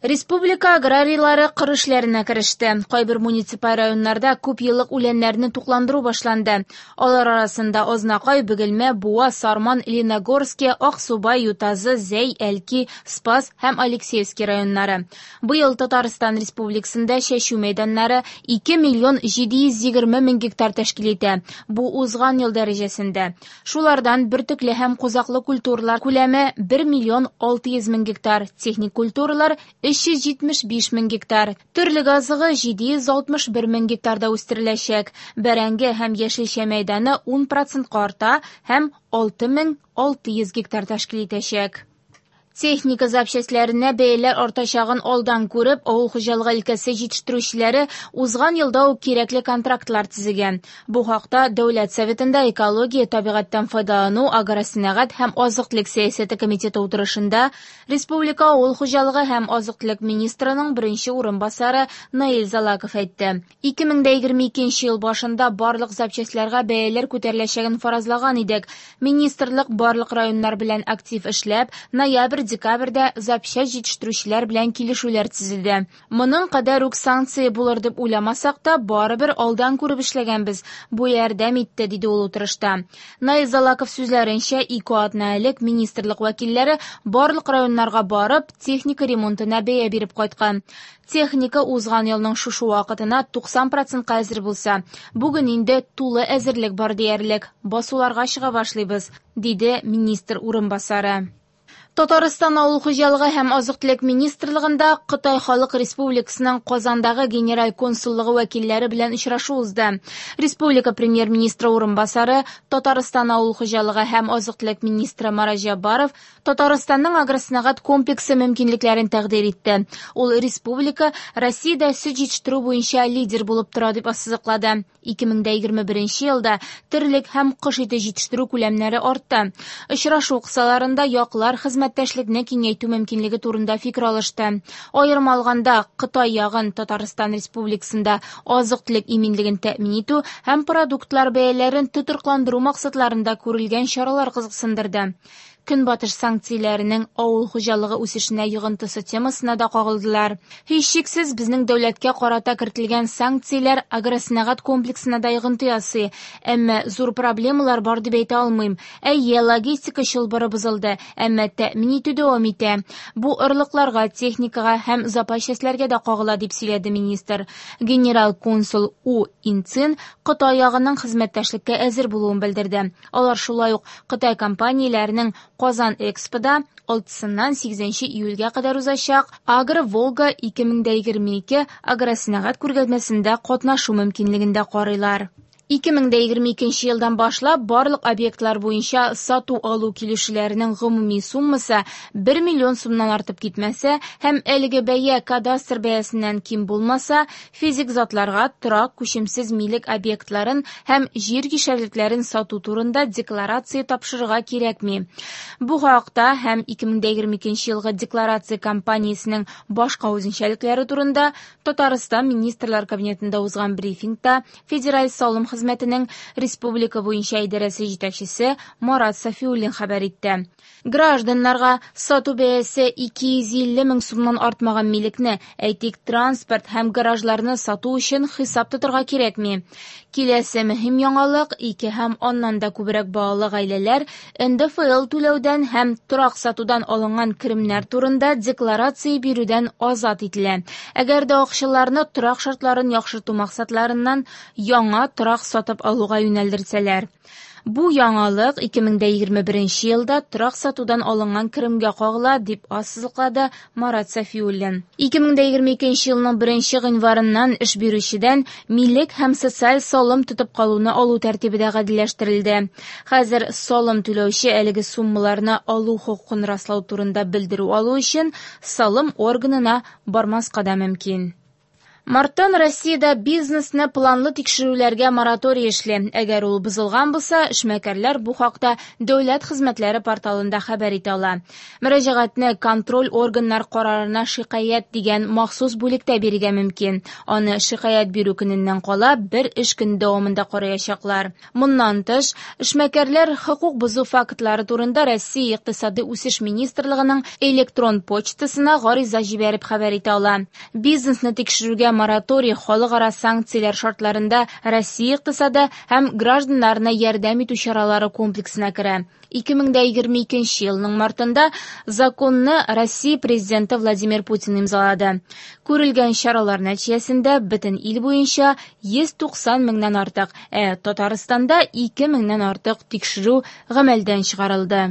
Республика аграрийлары кыр эшләренә кереште. Кайбер муниципаль районнарда күпьеллык үләннәрне тукландыру башланды. Алар арасында Азнакай, Бөгелмә, Буа, Сарман, Лениногорски, Аксубай, Ютазы, Зәй, Әлки, Спас һәм Алексеевский районнары. Быел Татарстан Республикасында чәчү мәйданнары 2 миллион 720 мең гектар тәшкил итә. Бу узган ел дәрәҗәсендә. Шулардан бөртекле һәм кузаклы культуралар күләме 1 миллион 600 мең гектар, техник культуралар 375 мең гектар, терлек азыгы 761 мең гектарда үстереләчәк. Бәрәңге һәм яшелчә мәйданы 10 процентка арта һәм 6600 гектар тәшкил итәчәк. Техника запчастьләренә бәяләр артачагын алдан күреп, авыл хуҗалыгы өлкәсе җитештерүчеләре узган елда ук кирәкле контрактлар төзегән. Бу хакта Дәүләт Советында экология, табигатьтән файдалану, агросәнәгать һәм азык-төлек сәясәте комитеты утырышында республика авыл хуҗалыгы һәм азык-төлек министрының беренче урынбасары Наил Залаков әйтте. 2022 ел башында барлык запчастьларга бәяләр күтәреләчәген фаразлаган идек. Министрлык барлык районнар белән актив эшләп, ноябрь-декабрьдә запчасть җитештерүчеләр белән килешүләр төзеде. Моның кадәр үк санкция булыр дип уйламасак та, барыбер алдан күреп эшләгәнбез. Бу ярдәм итте, диде ул утырышта. Наил Залаков сүзләренчә, ике атна элек министрлык вәкилләре барлык районнарга барып, техника ремонтына бәя биреп кайткан. Техника узган елның шушы вакытына 90 процентка әзер булса, бүген инде тулы әзерлек бар диярлек. Басуларга чыга башлыйбыз, диде министр урынбасары. Татарстан авыл хуҗалыгы һәм азык-төлек министрлыгында Кытай Халык Республикасының Казандагы генераль консуллыгы вәкилләре белән очрашу узды. Республика премьер-министры урынбасары, Татарстан авыл хуҗалыгы һәм азык-төлек министры Марат Җәббаров Татарстанның агросәнәгать комплексы мөмкинлекләрен тәкъдир итте. Ул республика Россиядә сөт җитештерү буенча лидер булып тора дип ассызыклады. 2021 елда терлек һәм кош ите җитештерү күләмнәре артты. Очрашу кысаларында яклар хезмәттәшлекне киңәйтү мөмкинлеге турында фикер алышты. Аерым алганда, Кытай ягын Татарстан Республикасында азык-төлек иминлеген тәэмин итү һәм продуктлар бәяләрен тотрыкландыру максатларында күрелгән чаралар кызыксындырды. Көнбатыш санкцияләренең авыл хуҗалыгы үсешенә йогынтысы темасына да кагылдылар. Һичшиксез, безнең дәүләткә карата кертелгән санкцияләр агросәнәгать комплексына да йогынты ясый. Әмма зур проблемалар бар дип әйтә алмыйм. Әйе, логистика чылбыры бозылды, әмма тәэмин итү дәвам итә. Бу орлыкларга, техникага һәм запас частьләргә дә кагыла, дип сөйләде министр. Генерал консул У Инцин Кытай ягының хезмәттәшлеккә әзер булуын белдерде. Алар шулай ук Кытай компанияләренең Казан Экспода 6-сыннан 8 июльгә кадәр узачак Агро Волга 2022 агросәнәгать күргәзмәсендә катнашу мөмкинлеген дә карыйлар. 2022 елдан башлап барлык объектлар буенча сату-алу килешүләренең гомуми суммасы 1 миллион сумнан артып китмәсә һәм әлеге бәя кадастр бәясеннән ким булмаса, физик затларга торак күчемсез милек объектларын һәм җир кишәрлекләрен сату турында декларация тапшырырга кирәкми. Бу хакта һәм 2022 елгы декларация кампаниясенең башка үзенчәлекләре турында Татарстан Министрлар Кабинетында узган брифингта Федераль салым хезмәтенең республика буенча идарәсе җитәкчесе Марат Сафиуллин хәбәр итте. Гражданнарга сату бәясе 250 мең сумнан артмаган милекне, әйтик, транспорт һәм гаражларны сату өчен хисап тотарга кирәкми. Киләсе мөһим яңалык ике һәм аннан да күбрәк балалы гаиләләр НДФЛ түләүдән һәм торак сатудан алынган керемнәр турында декларация бирүдән азат ителә. Әгәр дә акчаларны торак шартларын яхшырту максатларыннан яңа торак сатып алуга юнәлдерсәләр. Бу яңалык 2021 елда торак сатудан алынган керемгә кагыла, дип ассызыклады Марат Сафиуллин. 2022 елның 1 гыйнварыннан эш бирүчедән милек һәм социаль салым тотып калуны алу тәртибе дә гадиләштерелде. Хәзер салым түләүче әлеге суммаларны алу хокукын раслау турында белдерү алу өчен салым органына бармаска да мөмкин. Марттан Россиядә бизнесны планлы тикшерүләргә мораторий эшли. Әгәр ул бозылган булса, эшмәкәрләр бу хакта Дәүләт хезмәтләре порталында хәбәр итә ала. Мөрәҗәгатьне контроль органнар карарына шикаять дигән махсус бүлектә бирергә мөмкин. Аны шикаять бирү көненнән кала бер эш көне дәвамында караячаклар. Моннан тыш, эшмәкәрләр хокук бозу фактлары турында Россия Икътисади үсеш министрлыгының электрон почтасына гариза җибәреп хәбәр итә ала. Бизнесны тикшерүгә мораторий халыкара санкцияләр шартларында Россия икътисады һәм гражданнарына ярдәм итү чаралары комплексына керә. 2022 елның мартында законны Россия президенты Владимир Путин имзалады. Күрелгән чаралар нәтиҗәсендә бөтен ил буенча 190 меңнән артык, ә Татарстанда 2 меңнән артык тикшерү гамәлдән чыгарылды.